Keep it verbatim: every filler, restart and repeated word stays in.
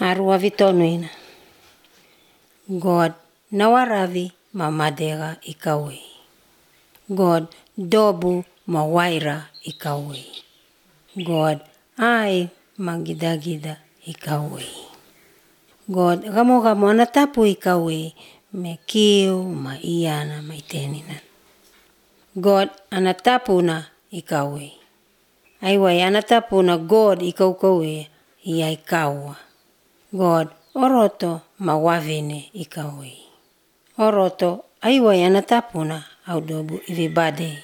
Arua vitonuina. God nawaravi ma madega ikawei. God dobu ma waira ikawei. God ai ma gida-gida ikawei. God gamo-gamo anatapu ikawei me kiu ma iyana ma itenina. God anatapuna ikawei. Aiwai anatapuna God ikau-kawe iya ikawa. God oroto ma wavine ikawei. Oroto aiwai anatapuna audobu ivibadei.